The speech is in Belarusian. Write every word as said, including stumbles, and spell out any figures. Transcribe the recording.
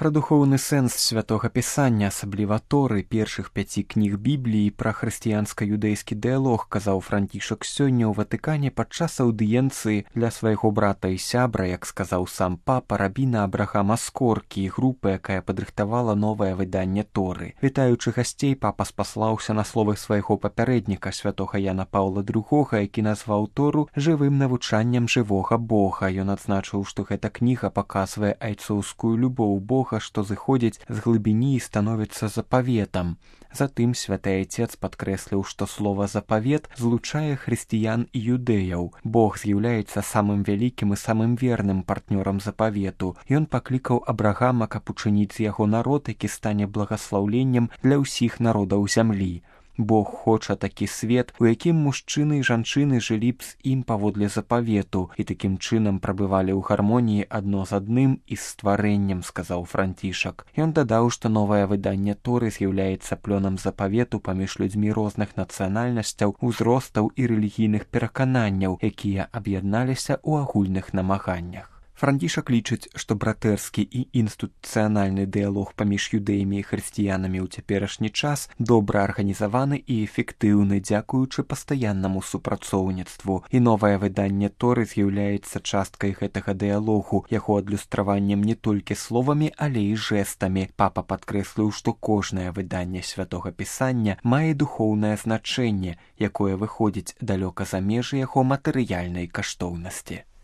Пра духоўны сэнс святога пісання, асабліва Торы, першых пяці кніг Бібліі, пра хрысціянска-юдэйскі дыялог казаў Францішак сёння ў Ватыкане падчас аўдыенцыі для свайго брата і сябра, як сказаў сам папа, рабіна Абрахама Скоркі і групы, якая падрыхтавала новае выданне Торы. Вітаючы гасцей, папа спаслаўся на словы свайго папярэдніка, святога Яна Паўла другога, які назваў Тору жывым навучаннем жывога Бога. Ён адзначыў, што гэта кніга паказвае айцоўскую любоў Бога, што зыходзіць з глыбіні і становіцца запаветам. Затым святы айцец падкрэсліў, што слова «запавет» злучае хрысціян і юдэяў. Бог з'яўляецца самым вялікім і самым верным партнёрам запавету. Ён паклікаў Абрагама, каб учыніць з яго народ, які стане благаслаўленнем для ўсіх народаў зямлі. Бог хоча такі свет, у якім мужчыны і жанчыны жылі б з ім паводле запавету і такім чынам прабывалі ў гармоніі адно з адным і з стварэннем, сказаў Францішак. Ён дадаў, што новае выданне Торы з'яўляецца плёнам запавету паміж людзьмі розных нацыянальнасцяў, узростаў і рэлігійных перакананняў, якія аб'ядналіся ў агульных намаганнях. Францішак лічыць, што братэрскі і інстытуцыянальны дыялог паміж юдэямі і хрысціянамі ў цяперашні час добра арганізаваны і эфектыўны дзякуючы пастаяннаму супрацоўніцтву. І новае выданне Торы з'яўляецца часткай гэтага дыялогу, яго адлюстраваннем не толькі словамі, але і жэстамі. Папа падкрэсліў, што кожнае выданне святога пісання мае духоўнае значэнне, якое выходзіць далёка за межы яго матэрыяльнай каштоўнасці.